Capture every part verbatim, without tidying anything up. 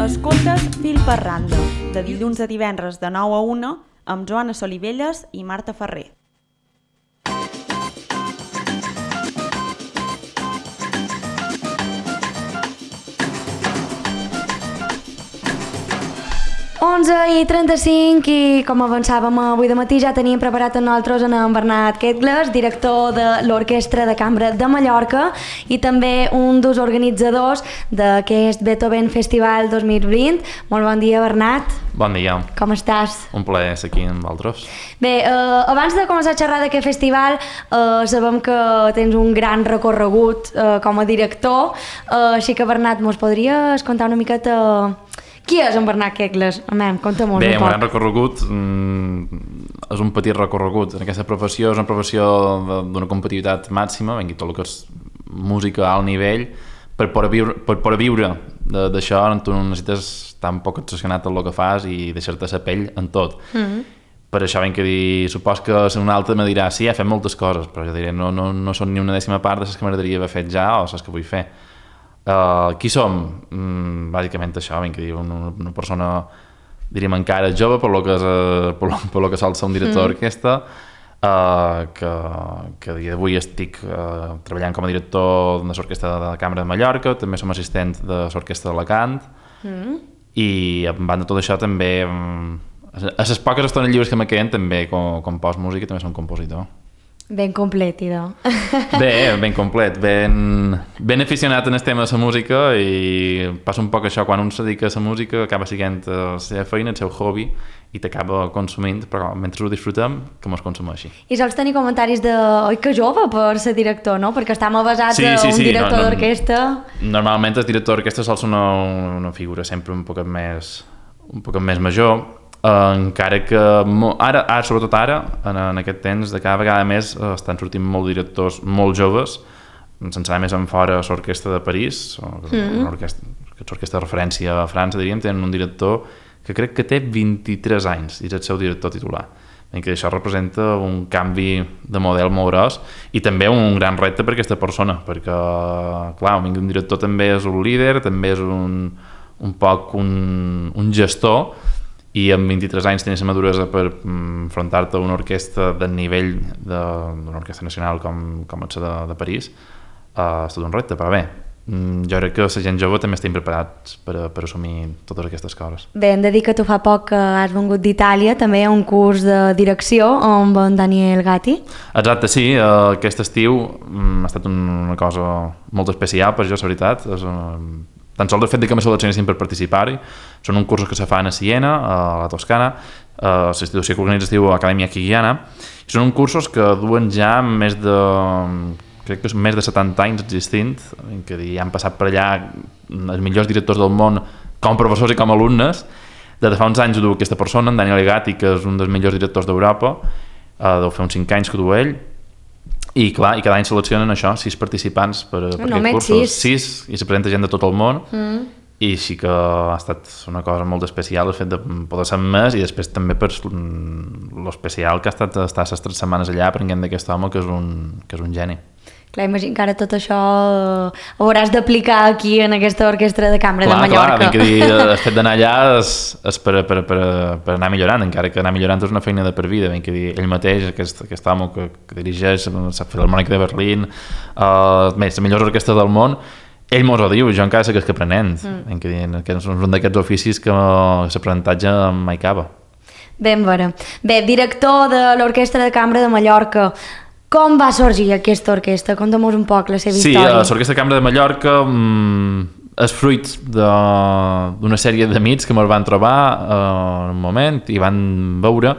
Escoltes Fil per Randa, de dilluns a divendres de nou a una, amb Joana Solivelles i Marta Ferrer. onze i trenta-cinc i com avançàvem avui de matí ja teníem preparat a nosaltres en Bernat Quetgles, director de l'Orquestra de Cambra de Mallorca i també un dels organitzadors d'aquest Beethoven Festival dos mil vint. Molt bon dia, Bernat. Bon dia. Com estàs? Un plaer ser aquí amb vosaltres. Bé, eh, abans de començar a xerrar d'aquest festival, eh, sabem que tens un gran recorregut eh, com a director, eh, així que, Bernat, mos podries contar una miqueta... Qui és en Bernat Quetgles? Amem, conta'm-ho un poc. Bé, un gran recorregut, mm, és un petit recorregut. En aquesta professió és una professió d'una competitivitat màxima, ben dit tot el que és música a alt nivell, per poder viure, per poder viure d'això tu necessites tan poc obsessionat en el que fas i deixar-te la pell en tot. Mm-hmm. Per això ben que dir, supos que un altre me dirà sí, he fet moltes coses, però jo diré no, no, no són ni una dècima part de les que m'agradaria haver fet ja o les que vull fer. Uh, qui som? Mm, bàsicament això, ben que dir, una, una persona, diríem, encara jove, per lo que, és, uh, per lo, per lo que sol ser un director d'orquestra, mm. uh, que, que a dia d'avui estic uh, treballant com a director de l'Orquestra de la Cambra de Mallorca, també som assistent de l'Orquestra d'Alacant, mm. i a banda de tot això també, um, a les poques estones lliures que me queden, també compòs música, també som compositor. Ben complet, idò. Bé, ben complet, ben, ben aficionat en el tema de la música i passa un poc això, quan un se dedica a la música acaba sent la seva feina, el seu hobby i t'acaba consumint, però mentre ho disfrutem, que mos consumeixi. I sols tenir comentaris de... Oi, que jove per ser director, no? Perquè estem avasats sí, a sí, un sí, director no, no, d'orquestra... Normalment el director d'orquestra sol ser una, una figura sempre un poc més, un poc més major, Uh, encara que ara, ara, sobretot ara, en, en aquest temps, de cada vegada més uh, estan sortint molts directors molt joves, sense anar més en fora a l'Orquestra de París, mm-hmm. l'orquestra de referència a França, diríem, tenen un director que crec que té vint-i-tres anys i és el seu director titular. I que això representa un canvi de model molt gros i també un gran repte per aquesta persona, perquè, clar, un director també és un líder, també és un, un poc un, un gestor, i amb vint-i-tres anys tenies la maduresa per mm, enfrontar-te a una orquestra del nivell d'una orquestra nacional com, com és de, de París, uh, és tot un repte, però bé, mm, jo crec que la gent jove també estem preparats per, per assumir totes aquestes coses. Bé, hem de dir que tu fa poc que has vengut d'Itàlia, també hi ha un curs de direcció amb en Daniel Gatti. Exacte, sí, uh, aquest estiu mm, ha estat una cosa molt especial per jo, la veritat, és un... Tan sols el fet que me seleccionessin per participar-hi. Són uns cursos que se fan a Siena, a la Toscana, a l'institució que organitza es diu Acadèmia Chigiana. Són uns cursos que duen ja més de, crec que és més de setanta anys existint, que han passat per allà els millors directors del món com professors i com alumnes. Des de fa uns anys ho du aquesta persona, en Daniel Gatti, que és un dels millors directors d'Europa, deu fer uns cinc anys que ho du ell. I clar, i cada any seleccionen això, sis participants per, per no, aquests cursos, sis. sis, i se presenta gent de tot el món, mm. i sí que ha estat una cosa molt especial el fet de poder ser més, i després també per l'especial que ha estat estar les tres setmanes allà aprenent d'aquest home que és un, que és un geni. Clar, imagino que ara tot això ho hauràs d'aplicar aquí en aquesta orquestra de cambra clar, de Mallorca. Clar, clar, dir, el fet d'anar allà és, és per, per, per, per anar millorant, encara que anar millorant és una feina de per vida, ben que dir, ell mateix, aquest, aquest home que, que dirigeix la Filharmònica de Berlín, uh, més, les millors orquestres del món, ell mos ho diu, jo encara sé que és que aprenent, mm. que, dir, que és un d'aquests oficis que l'aprenentatge mai acaba. Ben veure. Bé, director de l'Orquestra de Cambra de Mallorca, com va sorgir aquesta orquestra? Conta'm-nos un poc la seva sí, història. Sí, l'Orquestra de Cambra de Mallorca mm, és fruit d'una sèrie d'amics que me'l van trobar uh, en un moment i van veure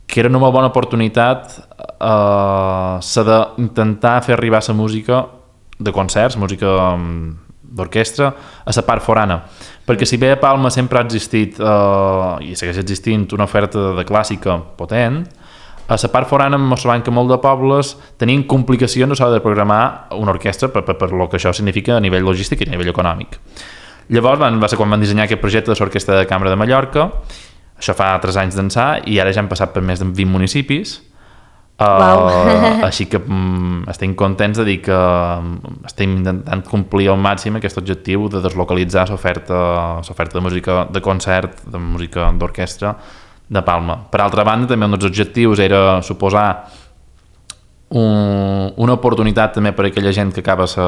que era una molt bona oportunitat uh, s'ha d'intentar fer arribar la música de concerts, música um, d'orquestra, a la part forana. Perquè si bé a Palma sempre ha existit uh, i segueix existint una oferta de clàssica potent, a la part forana ens trobem que molt de pobles tenien complicacions a l'hora de programar una orquestra per, per, per lo que això significa a nivell logístic i a nivell econòmic. Llavors van, va ser quan van dissenyar aquest projecte de l'Orquestra de Cambra de Mallorca, això fa tres anys d'ençà i ara ja han passat per més de vint municipis, Uh, així que um, estem contents de dir que um, estem intentant complir al màxim aquest objectiu de deslocalitzar l'oferta l'oferta de música de concert, de música d'orquestra de Palma. Per altra banda, també un dels objectius era suposar un, una oportunitat també per a aquella gent que acaba sa,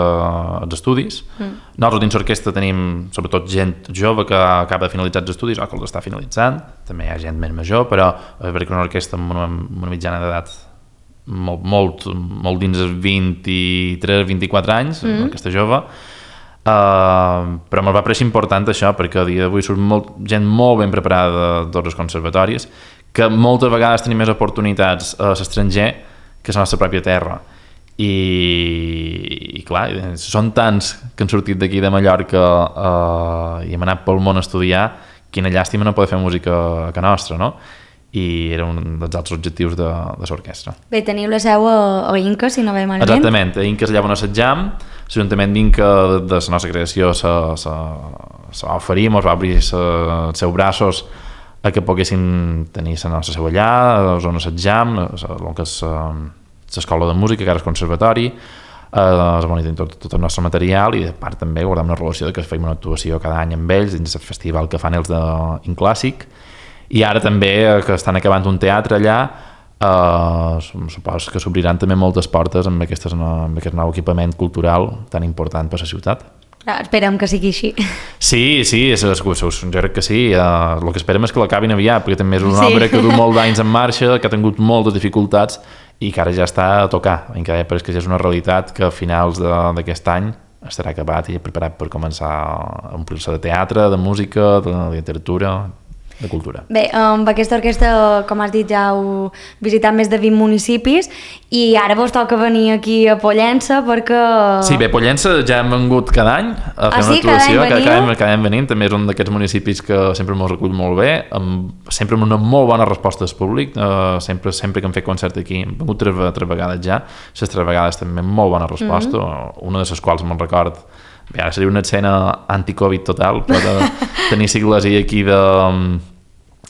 els estudis. Mm. Nosaltres dins l'orquestra tenim sobretot gent jove que acaba de finalitzar els estudis o que els està finalitzant, també hi ha gent més major, però és veritat que una orquestra amb una, una mitjana d'edat molt, molt, molt dins els vint-i-tres vint-i-quatre anys, mm. una orquestra jove, uh, però me'l va pareixer important això, perquè a dia d'avui surt molt, gent molt ben preparada de tots els conservatoris, que moltes vegades tenim més oportunitats a l'estranger que a la nostra pròpia terra. I, i clar, són tants que han sortit d'aquí de Mallorca uh, i hem anat pel món a estudiar, quina llàstima no poder fer música a casa nostra, no? I era un dels altres objectius de, de l'orquestra. Bé, teniu la seu a, a Inca, si no ve malament. Exactament, a Inca és allà on assetjam, l'Ajuntament d'Inca de la nostra creació s'ha oferit, ens va obrir els seus braços a que poguessin tenir la nostra seu allà, on assetjam, el que és l'escola de música, que ara és conservatori, es monitoren tot, tot el nostre material i de part també guardem una relació de que fem una actuació cada any amb ells dins el festival que fan els d'Inclàssic. I ara també, que estan acabant un teatre allà, eh, suposo que s'obriran també moltes portes amb, aquestes, amb aquest nou equipament cultural tan important per a la ciutat. Ah, esperem que sigui així. Sí, sí, és, és, jo crec que sí. Uh, el que esperem és que l'acabin aviat, perquè també és una sí. obra que du molt d'anys en marxa, que ha tingut moltes dificultats i que ara ja està a tocar. Encara és que ja és una realitat que a finals d'aquest any estarà acabat i preparat per començar a omplir-se de teatre, de música, de literatura, de cultura. Bé, amb aquesta orquestra, com has dit, ja heu visitat més de vint municipis i ara vos toca venir aquí a Pollença perquè... Sí, bé, Pollença ja hem vengut cada any a fer ah, sí? una actuació, cada any, cada, any, cada any venint, també és un d'aquests municipis que sempre m'ho recull molt bé, amb, sempre amb una molt bona resposta del públic, uh, sempre, sempre que hem fet concert aquí, hem vengut tres, tres vegades ja, les tres vegades també amb molt bona resposta, mm-hmm. una de les quals me'n record, bé, ara seria una escena anti-Covid total, però de tenir sigles aquí de...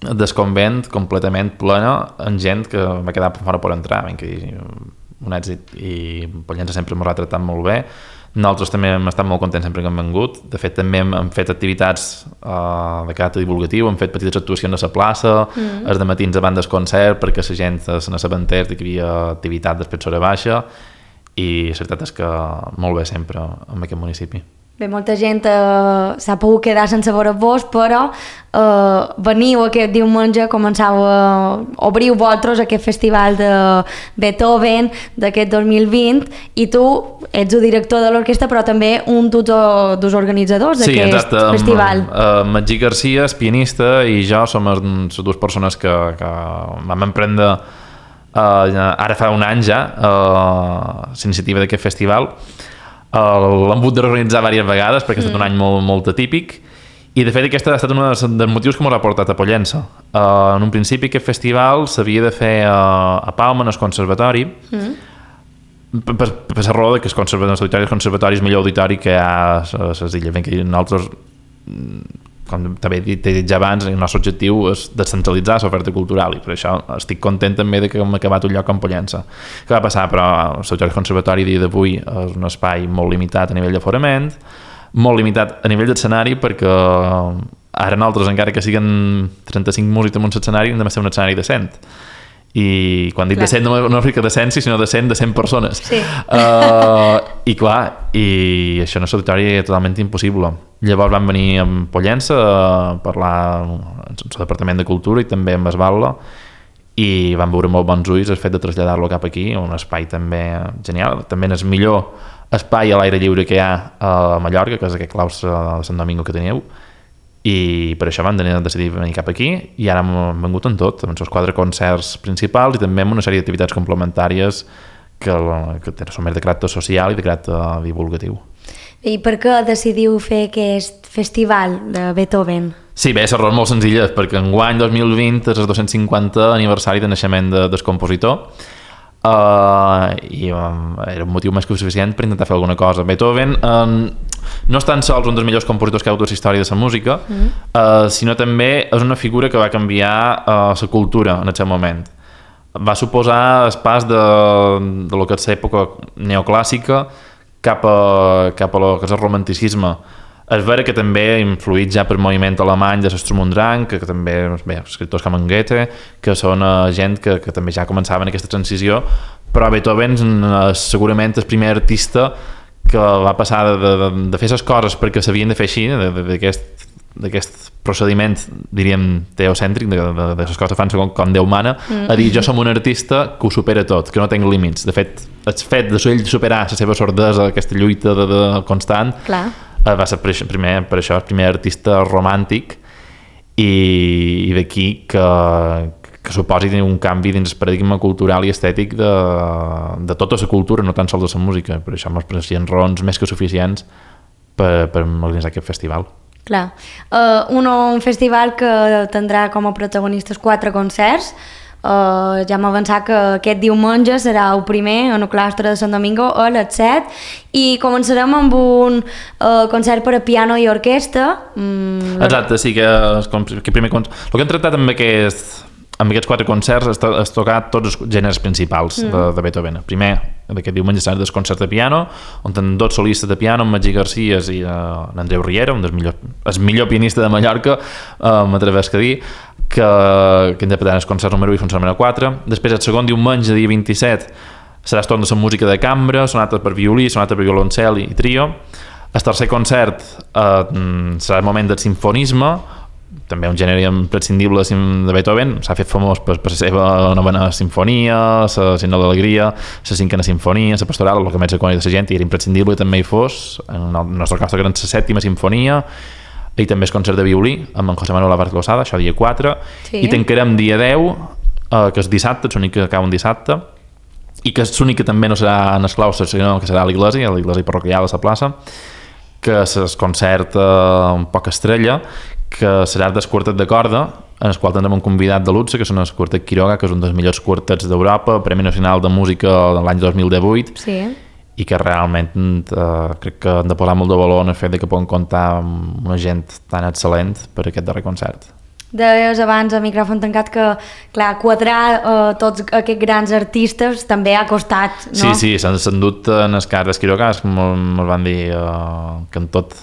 del convent completament plena amb gent que va quedar fora per entrar, ben que un èxit, i Pollença sempre m'ho ha tractat molt bé. Nosaltres també hem estat molt contents sempre que hem vengut, de fet també hem, hem fet activitats uh, de caràcter divulgatiu, hem fet petites actuacions a la plaça, mm. els dematins davant del concert perquè la gent se n'assabentés que hi havia activitat després d'hora baixa, i la veritat és que molt bé sempre en aquest municipi. Bé, molta gent eh, s'ha pogut quedar sense veure-vos, però eh, veniu aquest diumenge, començau a obrir vosaltres aquest festival de Beethoven d'aquest dos mil vint, i tu ets el director de l'orquestra, però també un dels organitzadors d'aquest sí, festival. Sí, uh, Magí Garcia és pianista i jo som les dues persones que, que vam emprendre uh, ara fa un any ja uh, l'iniciativa d'aquest festival. Uh, l'hem hagut de reorganitzar diverses vegades perquè ha estat un any molt, molt atípic, i de fet aquest ha estat un dels motius que m'ho ha portat a Pollença. Uh, en un principi aquest festival s'havia de fer uh, a Palma, en el conservatori, mm. per, per, per la raó que els conservatoris, conservatoris millor auditori que hi ha a les illes. Ben que nosaltres, com també he dit ja abans, el nostre objectiu és descentralitzar l'oferta cultural, i per això estic content també de que hem acabat un lloc com Pollença. Què va passar? Però el conservatori a dia d'avui és un espai molt limitat a nivell d'aforament, molt limitat a nivell d'escenari, perquè ara nosaltres, encara que siguin trenta-cinc músics en un escenari, hem de ser un escenari de cent. I quan dic clar. de cent no, no és de cent, sinó de cent de cent persones. Sí. Uh, I clar, i això en l'auditori és totalment impossible. Llavors vam venir a Pollença a parlar amb el Departament de Cultura i també amb Esbalda, i vam veure molt bons ulls el fet de traslladar-lo cap aquí, un espai també genial. També és el millor espai a l'aire lliure que hi ha a Mallorca, que és aquest claustre de Sant Domingo que teniu, i per això vam decidir venir cap aquí, i ara hem vengut en tot, amb els quatre concerts principals i també amb una sèrie d'activitats complementàries que, que són més de caràcter social i de caràcter divulgatiu. I per què decidiu fer aquest festival de Beethoven? Sí, bé, la raó és molt senzilla, perquè enguany dos mil vint és el dos-cents cinquanta aniversari de naixement de, del compositor, Uh, i um, era un motiu més que suficient per intentar fer alguna cosa. Beethoven um, no és tan sols un dels millors compositors que ha hagut a la història de la música, mm. uh, sinó també és una figura que va canviar uh, la cultura en el seu moment. va suposar el pas de, de lo que és l'època neoclàssica cap a, cap a lo que és el romanticisme. És vera que també ha influït ja per moviment alemany de l'Sturm und Drang, que, que també, bé, escriptors com en Goethe, que són uh, gent que, que també ja començaven aquesta transició, però Beethoven és segurament el primer artista que va passar de, de, de fer les coses perquè s'havien de fer així, d'aquest procediment, diríem, teocèntric, de, de, de les coses fan segons com Déu mana, mm. a dir, jo som un artista que ho supera tot, que no tinc límits. De fet, el fet de ell superar la seva sordesa, aquesta lluita de, de constant, clar, va ser per això, primer, per això el primer artista romàntic i, i d'aquí que, que suposi un canvi dins el paradigma cultural i estètic de, de tota la cultura, no tan sols de la música. Per això m'ho pareixien raons més que suficients per, per organitzar aquest festival. Clar. Uh, un, un festival que tindrà com a protagonistes quatre concerts. Uh, ja m'ha avançat que aquest diumenge serà el primer en el claustre de Sant Domingo a les set i començarem amb un uh, concert per a piano i orquestra. Mm, Exacte, sí, que, que primer concert. El que hem tractat amb aquest, amb aquests quatre concerts és, és tocar tots els gèneres principals mm. de, de Beethoven. Primer, d'aquest diumenge serà el concert de piano, on tenen dos solistes de piano, en Magí Garcia i uh, Andreu Riera, un dels millors, el millor pianista de Mallorca, uh, m'atrevesc a dir, que, que interpretaran els concerts número u i concert número quatre. Després, el segon diumenge, dia vint-i-set, serà el torn de la música de cambra, sonata per violí, sonata per violoncel i trio. El tercer concert eh, serà el moment del sinfonisme, també un gènere imprescindible de Beethoven. S'ha fet famós per, per la seva novena sinfonia, la Signe d'Alegria, la cinquena sinfonia, la pastoral, el que més icònic de la gent, i era imprescindible i també hi fos. En el nostre cas, que era la sèptima sinfonia, i també el concert de violí amb en José Manuel Álvarez Losada, això dia quatre, sí. I tancarem dia deu, eh, que és dissabte, és l'únic que acaba un dissabte, i que és l'únic que també no serà en els claustres, sinó que serà a l'església, a l'església parroquial de la plaça, que és el concert eh, un poc estrella, que serà del quartet de corda, en el qual tindrem un convidat de luxe, que són el quartet Quiroga, que és un dels millors quartets d'Europa, Premi Nacional de Música de l'any dos mil divuit, sí. I que realment eh, crec que han de posar molt de valor en el fet de que poden comptar amb una gent tan excel·lent per aquest darrer concert. Deies abans a micròfon tancat que, clar, quadrar eh, tots aquests grans artistes també ha costat, no? Sí, sí, s'han endut en els cas d'Esquirocas, me'l van dir eh, que en tot,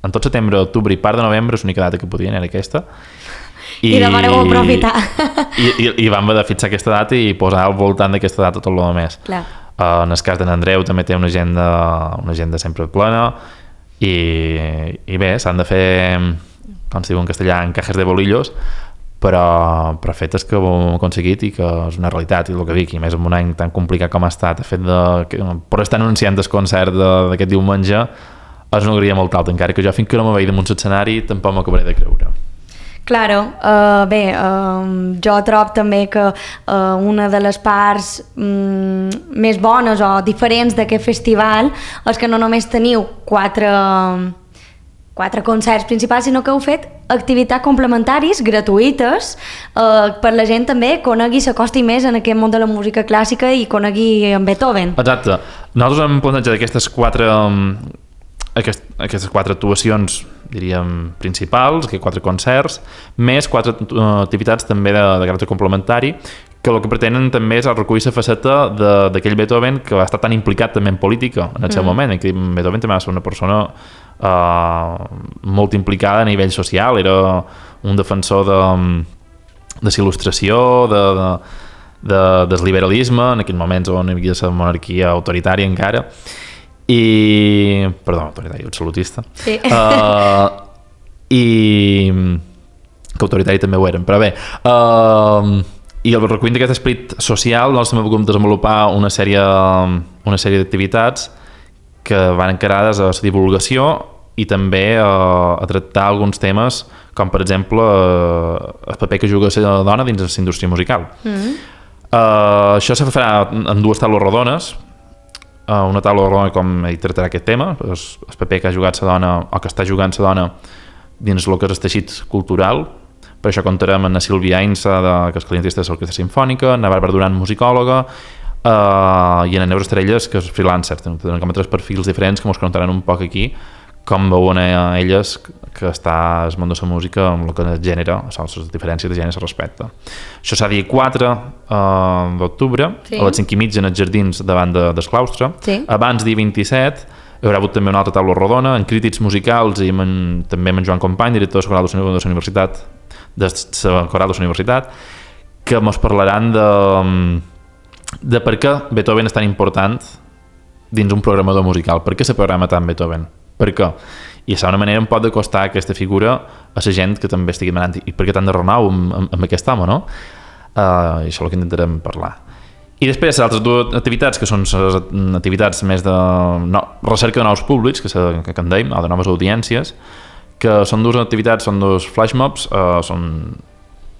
en tot setembre, octubre i part de novembre l'única data que podien era aquesta. I, I de vareu aprofitar. I, i, I vam haver de fixar aquesta data i posar al voltant d'aquesta data tot el més. Clar. Uh, en el cas d'en Andreu també té una agenda, una agenda sempre plena i, i bé, s'han de fer, com es diu en castellà, encajes de bolillos, però, però fetes que ho hem aconseguit i que és una realitat, i el que dic, i més en un any tan complicat com ha estat, el fet de que, per estar anunciant el concert d'aquest diumenge és una alegria molt alta, encara que jo fins que no me veig damunt l'escenari tampoc m'acabaré de creure. Claro, uh, bé, uh, jo trobo també que uh, una de les parts um, més bones o diferents d'aquest festival és que no només teniu quatre, quatre concerts principals, sinó que heu fet activitats complementaris gratuïtes uh, per la gent també conegui, s'acosti més en aquest món de la música clàssica i conegui en Beethoven. Exacte. Nosaltres hem plantejat aquestes quatre... Um... Aquest, aquestes quatre actuacions, diríem, principals, aquests quatre concerts, més quatre uh, activitats també de, de caràcter complementari, que el que pretenen també és recollir la faceta d'aquell Beethoven que va estar tan implicat també en política en el seu mm. moment. En Beethoven també va ser una persona uh, molt implicada a nivell social, era un defensor de, de l'il·lustració, de, de, de, del liberalisme, en aquells moments on hi havia la monarquia autoritària encara, i... perdó, autoritari, absolutista. Sí. Uh, I... que autoritari també ho eren, però bé. Uh, I el recull d'aquest esperit social, nosaltres també vam desenvolupar una sèrie, una sèrie d'activitats que van encarades a la divulgació i també a, a tractar alguns temes, com per exemple el paper que juga la dona dins la indústria musical. Mm-hmm. Uh, això se farà en dues taules rodones. Uh, una taula rodona com hi tractarà aquest tema, el, el paper que ha jugat la dona o que està jugant la dona dins el que és el teixit cultural. Per això comptarem amb la Sílvia Ainsa, de, que és clientista de l'Orquestra Simfònica, en la Bàrbara Duran, musicòloga, uh, i en la Neus Estrelles, que és freelancer. Tenen com tres perfils diferents que ens contaran un poc aquí com veuen elles que està el món de la música amb el que es genera, les diferències de gènere se respecta. Això serà dia quatre uh, d'octubre, sí. a les cinc i mitja en els jardins davant de, del claustre. Sí. Abans, dia vint-i-set, hi haurà hagut també una altra taula rodona amb crítics musicals i amb en, també amb en Joan Company, director de la Coral de la Universitat, de la Coral de la Universitat, que ens parlaran de, de per què Beethoven és tan important dins un programador musical. Per què se programa tant Beethoven? Per què? I això d'una manera em pot acostar aquesta figura a la gent que també estigui demanant i per què tant de renou amb, amb, amb aquest home, no? Uh, I això és el que intentarem parlar. I després les altres dues activitats, que són les activitats més de no, recerca de nous públics, que, se, que en dèiem, o de noves audiències, que són dues activitats, són dos flashmobs, uh, són...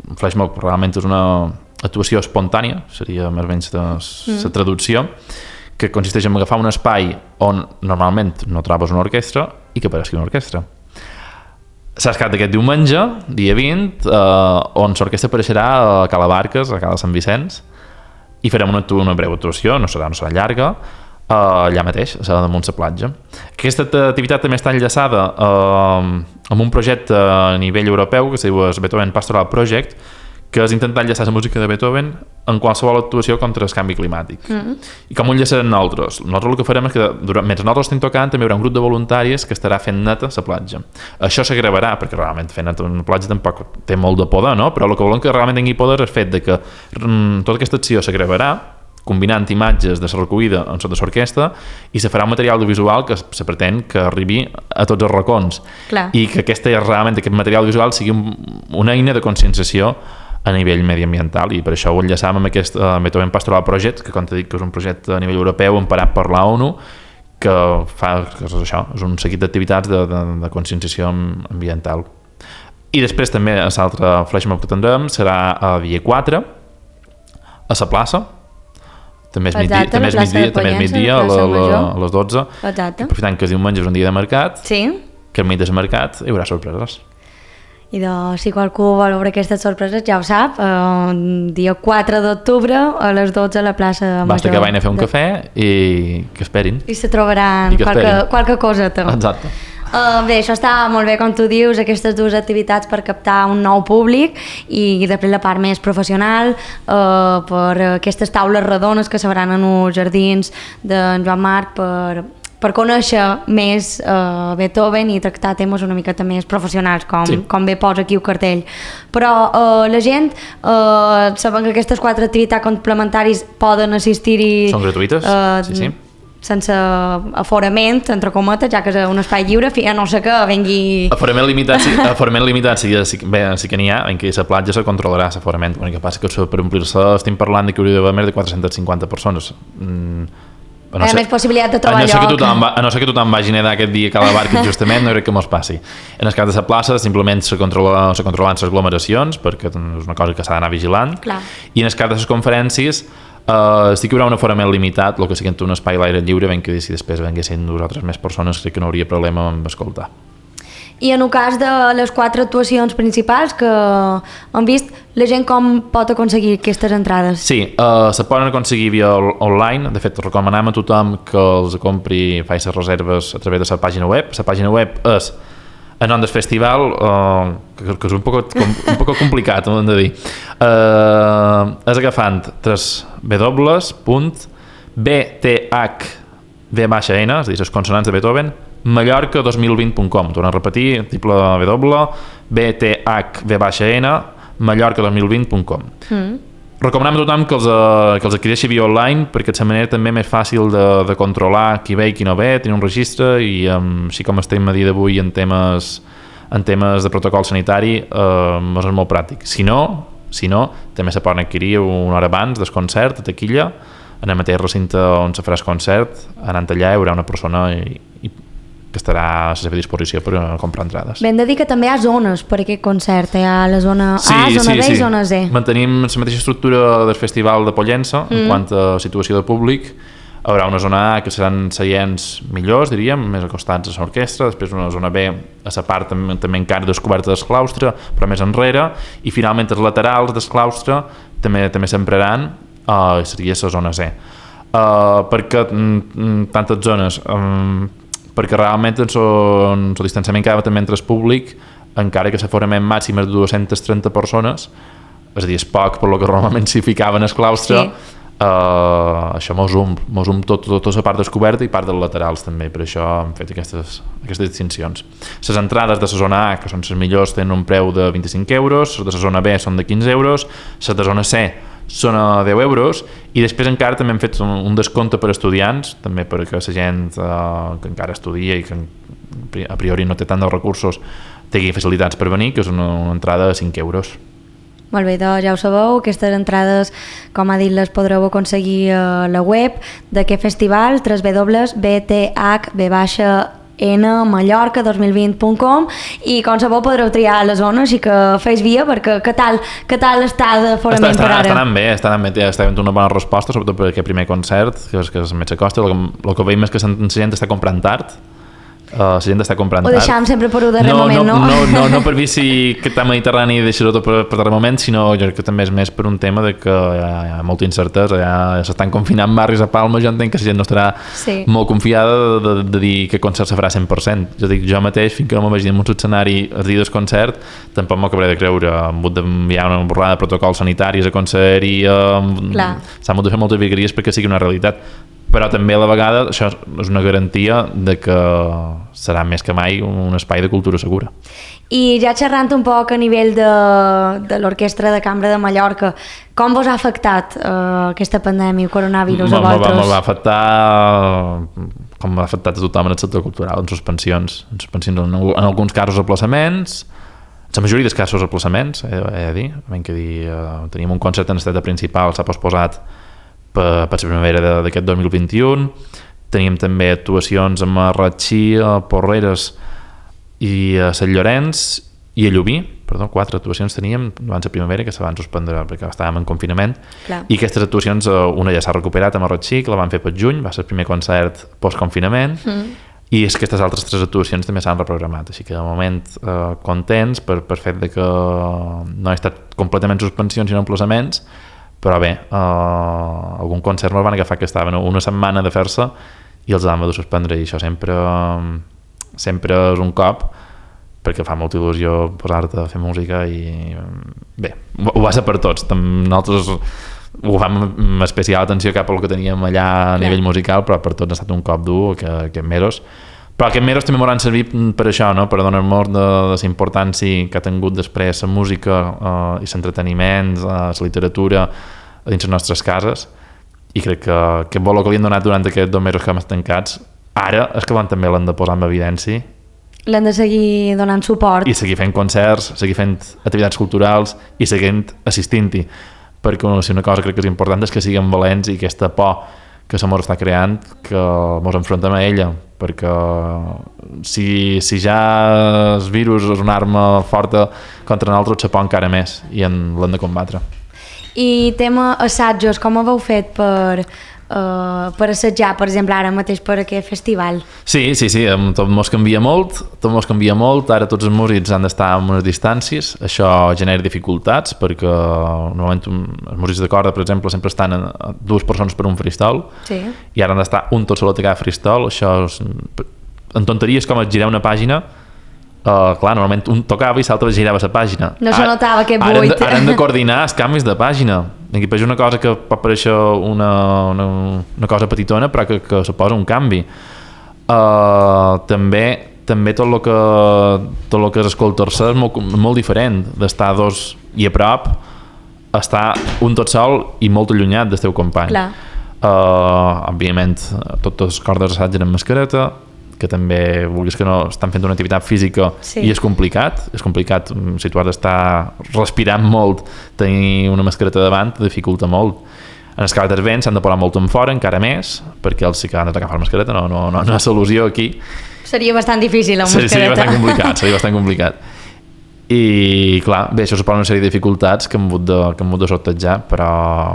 un flashmob realment és una actuació espontània, seria més o menys la mm. traducció, que consisteix en agafar un espai on normalment no trobes una orquestra i que apareixi una orquestra. S'ha escat aquest diumenge, dia vint, eh, on l'orquestra apareixerà a Cala Barques, a Cala Sant Vicenç, i farem una, una breu actuació, no serà, no serà llarga, eh, allà mateix, a Sala damunt la platja. Aquesta activitat també està enllaçada eh, amb un projecte a nivell europeu que es diu Beethoven Pastoral Project, que és intentar enllaçar la música de Beethoven en qualsevol actuació contra el canvi climàtic. Mm-hmm. I com ho enllaçarem nosaltres? Nosaltres el que farem és que, durant, mentre nosaltres estem tocant, també hi haurà un grup de voluntaris que estarà fent neta la platja. Això se gravarà, perquè realment fer neta una platja tampoc té molt de poder, no? Però el que volem que realment tingui poder és el fet de que mm, tota aquesta acció se gravarà, combinant imatges de la recollida en sota l'orquestra, i se farà un material audiovisual que se pretén que arribi a tots els racons. Clar. I que aquesta, realment aquest material audiovisual sigui un, una eina de conscienciació a nivell mediambiental, i per això ho enllaçam amb aquest uh, Beethoven Pastoral Project, que com t'he dit que és un projecte a nivell europeu emparat per la ONU, que fa que és això, és un seguit d'activitats de, de, de conscienciació ambiental. I després també l'altre flashmob que tindrem serà a dia quatre a la plaça, també és migdia, també és migdia, també és migdia a, la, la, a les dotze. Exacte. Aprofitant que és diumenge, és un dia de mercat, sí. que al mig del mercat hi haurà sorpreses. I de, si qualcú vol veure aquestes sorpreses, ja ho sap, eh, dia quatre d'octubre a les dotze a la plaça Major. Basta que vagin a fer un de... cafè i que esperin. I se trobaran qualque, qualque coseta. Exacte. Uh, bé, això està molt bé, com tu dius, aquestes dues activitats per captar un nou públic i després la part més professional, uh, per aquestes taules redones que s'hauran en els jardins d'en Joan Marc per... per conèixer més uh, Beethoven i tractar temes una miqueta més professionals, com, sí. com bé posa aquí el cartell. Però uh, la gent, uh, saben que aquestes quatre activitats complementaris poden assistir-hi... Són gratuïtes, uh, sí, sí. sense aforament, entre cometes, ja que és un espai lliure, a no sé què vengui... Aforament limitat, sí, aforament limitat sí, sí, bé, sí que n'hi ha, en què la platja se controlarà l'aforament. L'únic que passa que per omplir-se estem parlant de que hauria d'haver més de quatre-centes cinquanta persones. Mm. A no ser, més possibilitat de trobar a no lloc. Que tothom, a no ser que tothom vagi nedar aquest dia a Cala Barca, justament, no crec que mos passi. En el cas de la plaça, simplement se, controla, se controlen les aglomeracions, perquè és una cosa que s'ha d'anar vigilant. Clar. I en el cas de les conferències, eh, sí que hi haurà un aforament limitat, el que sigui un espai a l'aire lliure, ben que si després venguessin nosaltres més persones, crec que no hauria problema amb escoltar. I en el cas de les quatre actuacions principals que hem vist, la gent com pot aconseguir aquestes entrades? Sí, uh, se poden aconseguir via online. De fet, recomanem a tothom que els compri, faci les reserves a través de la pàgina web. La pàgina web és el nom del festival, uh, que, que és un poc, com, un poc complicat, ho hem de dir. Uh, és agafant tres w punt b t h v baixa n, és a dir, les consonants de Beethoven, Mallorca dos mil vint punt com. Torno a repetir, triple W, B T H V N, Mallorca dos mil vint punt com. Mm. Recomanem a tothom que els, que els adquireixi via online, perquè és la manera també més fàcil de, de controlar qui ve i qui no ve, tenir un registre, i um, així com estem a dia d'avui en temes, en temes de protocol sanitari, eh, és molt pràctic. Si no, si no, també se poden adquirir una hora abans del concert, a taquilla, en el mateix recinte on se farà el concert, anant allà hi haurà una persona i, i que estarà a la seva disposició per comprar entrades. Ben de dir que també hi ha zones per aquest concert, hi ha la zona sí, A, zona sí, B sí. i zona C. Mantenim la mateixa estructura del Festival de Pollença mm. en quant a situació de públic. Hi haurà una zona A que seran seients millors, diríem, més acostats a l'orquestra, després una zona B a la part també, també encara descoberta del claustre, però més enrere, i finalment els laterals del claustre també també s'empraran, uh, seria la zona C. Uh, perquè mm, tantes zones... Um, perquè realment el distanciament que hi ha també entre el públic, encara que l'aforament màxim és de dues-centes trenta persones, és a dir, és poc per lo que normalment s'hi ficaven al claustre, sí. Uh, això mos um, mos um tot, tot, tota la part descoberta i part dels laterals també, per això hem fet aquestes, aquestes distincions. Les entrades de la zona A, que són les millors, tenen un preu de vint-i-cinc euros, les de la zona B són de quinze euros, les de zona C són a deu euros, i després encara també hem fet un, un descompte per estudiants, també perquè la gent uh, que encara estudia i que a priori no té tant de recursos tingui facilitats per venir, que és una, una entrada de cinc euros. Molt bé, doncs ja ho sabeu, aquestes entrades, com ha dit, les podreu aconseguir a la web d'aquest festival, w w w punt b t h b n mallorca dos mil vint punt com, i com sabeu podreu triar la zona, així que fes via, perquè què tal, què tal està d'aforament està, per ara? Està anant bé, està anant bé, està havent una bona resposta, sobretot per aquest primer concert, que és, que és més s'acosta. El, el que veiem és que la gent està comprant tard, Uh, la gent està comprant tard. Ho deixàvem sempre per un darrer no, moment, no? No, no, no, no per vici que està mediterrani i deixar-ho tot per, per darrer moment, sinó jo crec que també és més per un tema de que hi ha, hi ha molta incertesa, ja s'estan confinant barris a Palma, jo entenc que la gent no estarà sí. molt confiada de, de, de dir que el concert se farà cent per cent. Jo dic, jo mateix, fins que no m'imagini en un escenari el dia del concert, tampoc m'acabaré de creure. Hem hagut d'enviar una borrada de protocols sanitaris a concert i uh, s'han hagut de fer moltes virgueries perquè sigui una realitat. Però també a la vegada això és una garantia de que serà més que mai un espai de cultura segura. I ja xerrant un poc a nivell de, de l'Orquestra de Cambra de Mallorca, com vos ha afectat uh, aquesta pandèmia, el coronavirus a vosaltres? Me va afectar com m'ha afectat a tothom en el sector cultural, en suspensions, en, suspensions, en, en alguns casos aplaçaments, en la majoria dels casos aplaçaments, he, he de dir, hem que dir uh, teníem un concert en l'estat principal, s'ha posposat per, per la primavera d'aquest dos mil vint-i-u. Teníem també actuacions a Marratxí, a Porreres i a Sant Llorenç i a Llubí, perdó, quatre actuacions teníem abans la primavera que se van suspendre perquè estàvem en confinament. Clar. I aquestes actuacions, una ja s'ha recuperat a Marratxí, que la van fer per juny, va ser el primer concert post-confinament, mm. i és que aquestes altres tres actuacions també s'han reprogramat, així que de moment eh, contents per, per fet de que no ha estat completament suspensions sinó emplaçaments. Però bé, eh, algun concert me'l van agafar que estaven una setmana de fer-se i els vam haver de suspendre, i això sempre, sempre és un cop, perquè fa molta il·lusió posar-te a fer música i bé, ho va ser per tots. Nosaltres ho fem amb especial atenció cap al que teníem allà a nivell musical, però per tots ha estat un cop dur aquests mesos. Però aquests mesos també m'hauran servit per això, no? Per donar-nos de, de la importància que ha tingut després la música eh, i l'entreteniment, eh, la literatura a dins les nostres cases, i crec que aquest valor que li han donat durant aquests dos mesos que hem tancats, ara és que també l'han de posar en evidència. L'han de seguir donant suport. I seguir fent concerts, seguir fent activitats culturals i seguint assistint-hi, perquè una, una cosa crec que és important és que siguem valents i aquesta por que se mos està creant, que mos enfrontem a ella, perquè si, si ja el virus és una arma forta contra nosaltres, se por encara més i l'hem de combatre. I tema assajos, com ho heu fet per, uh, per assajar, per exemple, ara mateix per aquest festival? Sí, sí, sí, tot mos canvia molt, tot mos canvia molt, ara tots els músics han d'estar a unes distàncies, això genera dificultats, perquè normalment els músics de corda, per exemple, sempre estan a dues persones per un freestyle, sí. I ara han d'estar un tot sol a tocar freestyle, això és, en tonteries com es girar una pàgina. Uh, clar, normalment un tocava i l'altre girava la pàgina. No se notava aquest buit. Ara, ara hem de coordinar els canvis de pàgina. Aquí és una cosa que pot pareixer una, una, una cosa petitona, però que, que suposa un canvi. Uh, també també tot el que, tot el que és escoltar-se és molt, molt diferent d'estar dos i a prop, estar un tot sol i molt allunyat del teu company. Clar. Uh, òbviament, totes les cordes assatgen amb mascareta, que també, vulguis que no, estan fent una activitat física, sí. I és complicat, és complicat, si tu has d'estar respirant molt, tenir una mascareta davant dificulta molt. En els casos dels vents s'han de posar molt en fora, encara més, perquè els sí que han d'agafar la mascareta, no, no, no, no hi ha solució aquí. Seria bastant difícil, la mascareta. Seria bastant complicat, seria bastant complicat. I clar, bé, això suposa una sèrie de dificultats que hem hagut de, que hem hagut de sortejar, però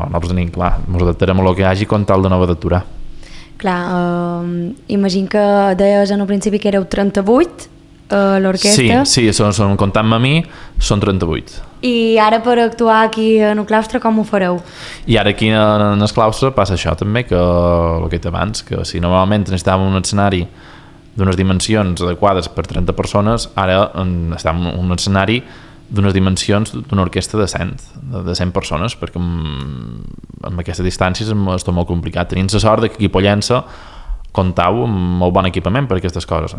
nosaltres tenim, clar, ens adaptarem a el que hi hagi com tal de no haver d'aturar. Clar, uh, imagino que deies en un principi que éreu trenta-vuit a uh, l'orquestra. Sí, sí, són, són, comptant-me a mi, són trenta-vuit. I ara per actuar aquí en el claustre com ho fareu? I ara aquí en, en el claustre passa això també, que el que he dit abans, que si normalment necessitàvem un escenari d'unes dimensions adequades per trenta persones, ara en, està en un escenari d'unes dimensions d'una orquestra de cent, de cent persones, perquè amb, amb aquestes distàncies és tot molt complicat. Tenim la sort que aquí a Pollença comptau amb molt bon equipament per aquestes coses,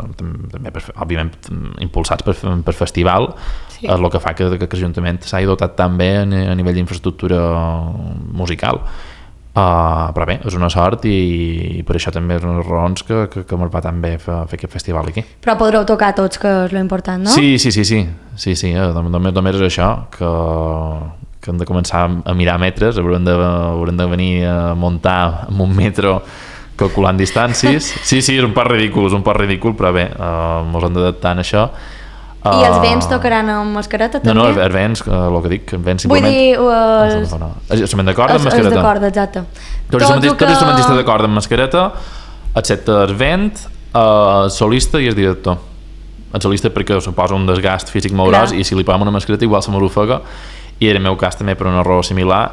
també per, òbviament impulsats per, per festival, sí. És el que fa que, que l'Ajuntament s'hagi dotat tan bé a nivell d'infraestructura musical. Uh, però bé, és una sort i, i per això també és una de les raons que, que, que ens va tan bé fer, fer aquest festival aquí. Però podreu tocar tots, que és l'important, no? Sí, sí, sí, sí, sí, sí. Només, només és això, que, que hem de començar a mirar metres, haurem de, haurem de venir a muntar amb un metro calculant distàncies. Sí, sí, és un poc ridícul, és un poc ridícul, però bé, uh, ens hem d'adaptar en això. I els vents tocaran amb mascareta també? No, no, els vents, el que dic, els vents simplement... Vull dir... Uh, no, no. Instrument de corda amb mascareta. Els de corda, exacte. Tots els que... instrumentistes de corda amb mascareta, excepte el vent, el solista i el director. El solista perquè suposa un desgast físic molt gros i si li posem una mascareta igual se m'ofega, i en el meu cas també per una raó similar,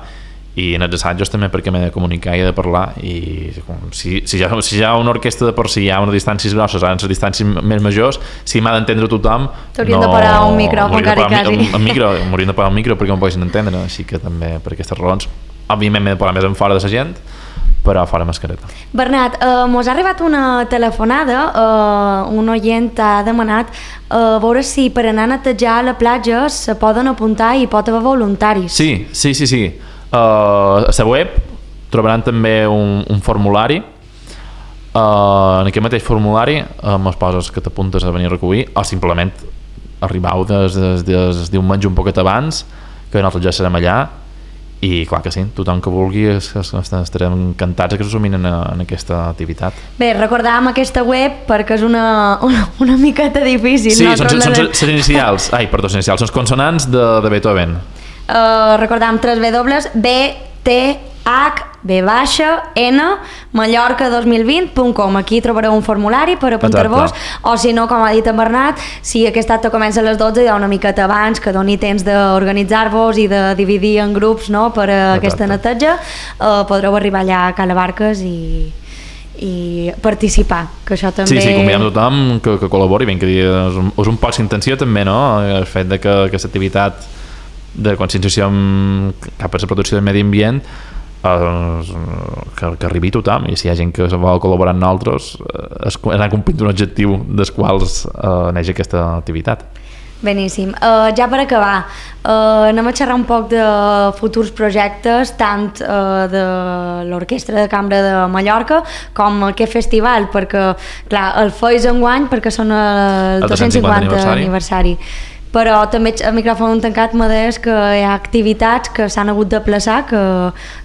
i en els assajos també perquè m'he de comunicar i he de parlar, i si, si, ja, si ja una orquestra de per si hi ha unes distàncies grosses, ara en les distàncies més majors, si m'ha d'entendre tothom, t'haurien no, de parar un micròfon quasi quasi. Un, un micro, m'haurien de parar un micro perquè em poguessin entendre, així que també per aquestes raons, òbviament m'he de parar més en fora de la gent, però fora mascareta. Bernat, eh, mos ha arribat una telefonada, eh, un oient ha demanat eh, veure si per anar a netejar a la platja se poden apuntar i pot haver voluntaris. Sí, sí, sí, sí. Uh, a la web trobaran també un, un formulari, uh, en aquest mateix formulari um, es poses que t'apuntes a venir a recollir o simplement arribau des, des, des diumenge un poquet abans, que nosaltres ja serem allà, i clar que sí, tothom que vulgui es, es, estarem encantats que s'assumin en, en aquesta activitat. Bé, recordàvem aquesta web perquè és una, una, una miqueta difícil. Sí, no? són, són les inicials, ai, perdó, les inicials, són les consonants de, de Beethoven. Uh, recordàvem tres W, B, T, H, B baixa, N, Mallorca dos mil vint punt com. Aquí trobareu un formulari per apuntar-vos, o si no, com ha dit en Bernat, si aquest acte comença a les dotze, hi ha una miqueta abans que doni temps d'organitzar-vos i de dividir en grups, no?, per a aquesta neteja, uh, podreu arribar allà a Cala Barques i i participar, que això també... Sí, sí, convidem tothom que, que col·labori, ben que és un, és un poc d'intenció també, no?, el fet de que aquesta activitat de conscienciació cap a la protecció del medi ambient eh, que, que arribi tothom, i si hi ha gent que vol col·laborar amb nosaltres és anar complint un objectiu dels quals eh, neix aquesta activitat. Beníssim. Uh, ja per acabar, uh, anem a xerrar un poc de futurs projectes, tant uh, de l'Orquestra de Cambra de Mallorca com aquest festival, perquè, clar, el feis enguany perquè són el, el dos-cents cinquanta aniversari. aniversari. Però també a micròfon tancat m'ha deies que hi ha activitats que s'han hagut de plaçar que,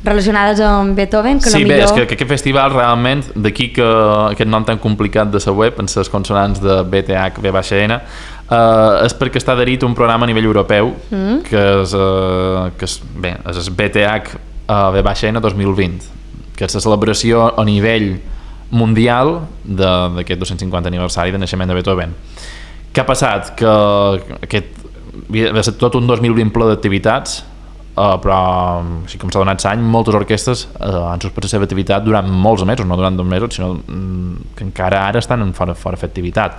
relacionades amb Beethoven, que sí, millor... bé, és que, que aquest festival realment, d'aquí que aquest nom tan complicat de la web, en les consonants de B T H, B N, uh, és perquè està adherit a un programa a nivell europeu, mm. que és, uh, que és, bé, és el B T H uh, B N dos mil vint, que és la celebració a nivell mundial d'aquest dos-cents cinquanta aniversari de naixement de Beethoven. Què ha passat? Que aquest va ser tot un dos mil vint ple d'activitats, eh, però així com s'ha donat l'any, moltes orquestres eh, han suspès la seva activitat durant molts mesos, no durant dos mesos, sinó que encara ara estan en fora, fora fer activitat.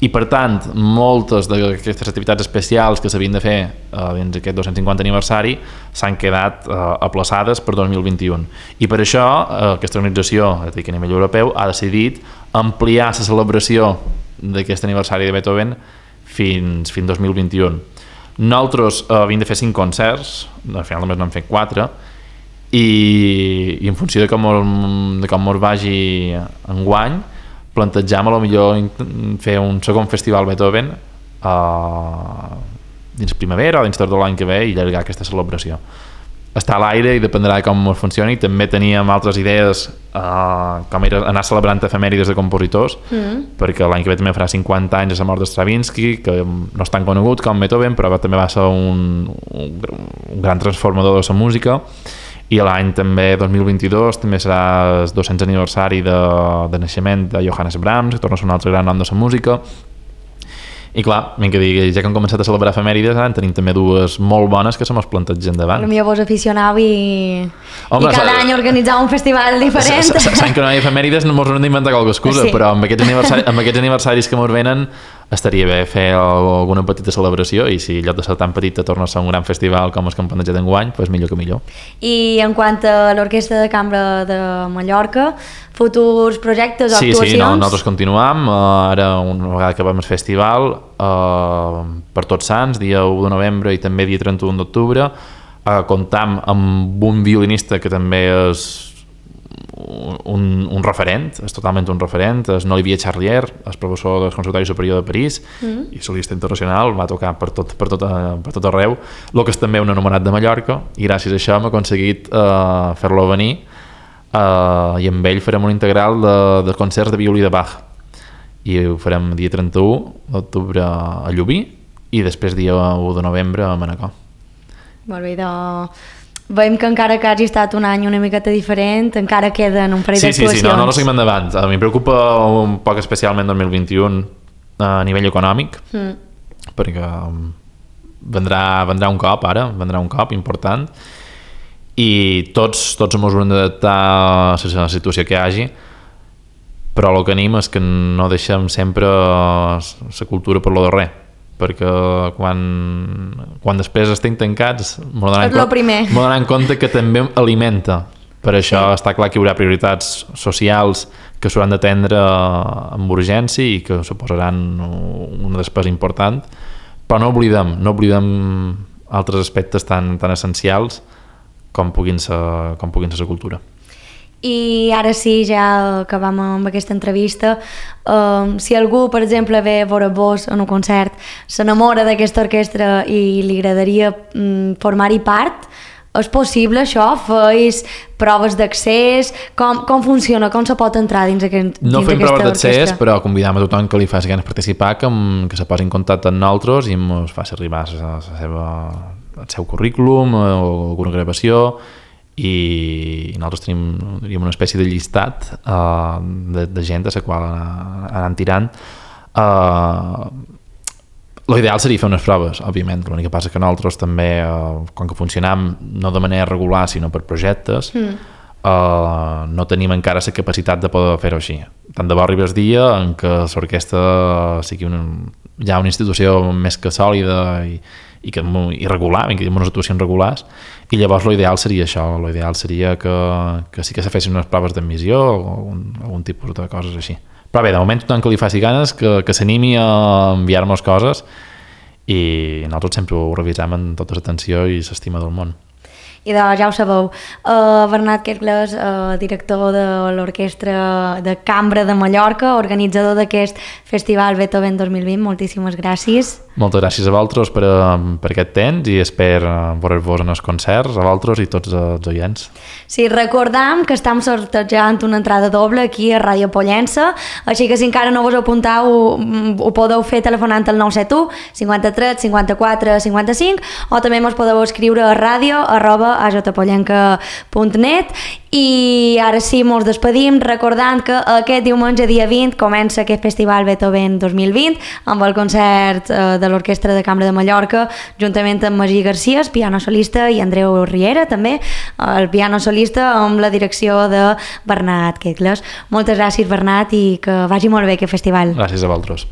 I per tant, moltes d'aquestes activitats especials que s'havien de fer eh, dins aquest dos-cents cinquanta aniversari s'han quedat eh, aplaçades per dos mil vint-i-u. I per això eh, aquesta organització, a nivell europeu, ha decidit ampliar la celebració d'aquest aniversari de Beethoven fins fins dos mil vint-i-u. Nosaltres eh, havíem de fer cinc concerts, al final només n'hem fet quatre, i, i en funció de com, de com ens vagi enguany, plantejam a lo millor fer un segon festival Beethoven eh, dins primavera o dins tardor l'any que ve i allargar aquesta celebració. Està a l'aire i dependrà de com ens funcioni. També teníem altres idees uh, com era anar celebrant efemèrides de compositors, mm. perquè l'any que ve també farà cinquanta anys de la mort de Stravinsky, que no és tan conegut com Beethoven, però també va ser un, un, un gran transformador de la música. I l'any també dos mil vint-i-dos també serà el dos-cents aniversari de, de naixement de Johannes Brahms, que torna a ser un altre gran nom de la música. I clar, ben que digui, ja que hem començat a celebrar efemèrides, ara en tenim també dues molt bones que se mos plantegen davant. Potser vos aficionau i, Home, i cada any organitzar un festival diferent. Sabem que no hi ha efemèrides, no mos hem d'inventar qualque excusa, sí. Però amb aquests, aniversari, amb aquests aniversaris que mos venen estaria bé fer alguna petita celebració i si en lloc de ser tan petita torna a ser un gran festival com els que hem plantejat enguany, doncs millor que millor. I en quant a l'Orquestra de Cambra de Mallorca, futurs projectes o sí, actuacions? Sí, sí, no, nosaltres continuam. Uh, ara, una vegada que acabem el festival, uh, per Tots Sants, dia u de novembre i també dia trenta-u d'octubre, uh, comptam amb un violinista que també és un, un referent, és totalment un referent, és Olivier Charlier, és professor del Conservatori Superior de París mm. i solista internacional, va tocar per tot, per tot, per tot arreu, el que és també un anomenat de Mallorca, i gràcies a això hem aconseguit uh, fer-lo venir uh, i amb ell farem un integral de, de concerts de violí de Bach i ho farem dia trenta-u d'octubre a Llubí i després dia u de novembre a Manacor. Molt bé, doncs veiem que encara que hagi estat un any una miqueta diferent, encara queden un parell sí, d'actuacions. Sí, sí, no, no, no seguim endavant. A mi em preocupa un poc especialment dos mil vint-i-u a nivell econòmic, mm. perquè vendrà, vendrà un cop ara, vendrà un cop important i tots, tots ens haurem d'adaptar a la situació que hi hagi, però el que anem és que no deixem sempre la cultura per lo de res, perquè quan, quan després estem tancats m'ho donen compte que també alimenta. Per això sí. Està clar que hi haurà prioritats socials que s'hauran d'atendre amb urgència i que suposaran una despesa important, però no oblidem, no oblidem altres aspectes tan, tan essencials com puguin ser, com puguin ser la cultura. I ara sí, ja acabam amb aquesta entrevista, um, si algú, per exemple, ve a veure vos en un concert, s'enamora d'aquesta orquestra i li agradaria um, formar-hi part, és possible això? Feis proves d'accés? Com, com funciona? Com se pot entrar dins, aquest, dins no aquesta orquestra? No fem proves d'accés, però convidam a tothom que li faci ganes participar que, que se posi en contacte amb nosaltres i ens faci arribar la, la seva, el seu currículum o alguna gravació, i nosaltres tenim, tenim una espècie de llistat uh, de, de gent a la qual anem tirant. Uh, l'ideal seria fer unes proves, òbviament, l'únic que passa que nosaltres també, uh, com que funcionam no de manera regular sinó per projectes, mm. uh, no tenim encara la capacitat de poder fer-ho així. Tant de bo arriba el dia en què l'orquestra sigui una, ja una institució més que sòlida i i, que, i regular, que hi ha unes actuacions regulars, i llavors l'ideal seria això, l'ideal seria que, que sí que se fessin unes proves d'admissió o algun, algun tipus de coses així. Però bé, de moment tothom que li faci ganes, que, que s'animi a enviar-nos coses i nosaltres sempre ho revisem amb tota l'atenció i l'estima del món. I doncs ja ho sabeu, uh, Bernat Quetgles, uh, director de l'Orquestra de Cambra de Mallorca, organitzador d'aquest Festival Beethoven dos mil vint, moltíssimes gràcies. Moltes gràcies a vosaltres per, per aquest temps i espero veure-vos en els concerts, a vosaltres i tots els oients. Sí, recordam que estem sortejant una entrada doble aquí a Ràdio Pollença, així que si encara no vos apuntau ho, ho podeu fer telefonant al nou set u cinquanta-tres cinquanta-quatre cinquanta-cinc o també mos podeu escriure a ràdio arroba a jpollenca punt net. I ara sí, mos despedim recordant que aquest diumenge dia vint comença aquest Festival Beethoven dos mil vint amb el concert eh, de l'Orquestra de Cambra de Mallorca juntament amb Magí Garcia, piano solista, i Andreu Riera també, el piano solista amb la direcció de Bernat Quetgles. Moltes gràcies, Bernat, i que vagi molt bé aquest festival. Gràcies a vosaltres.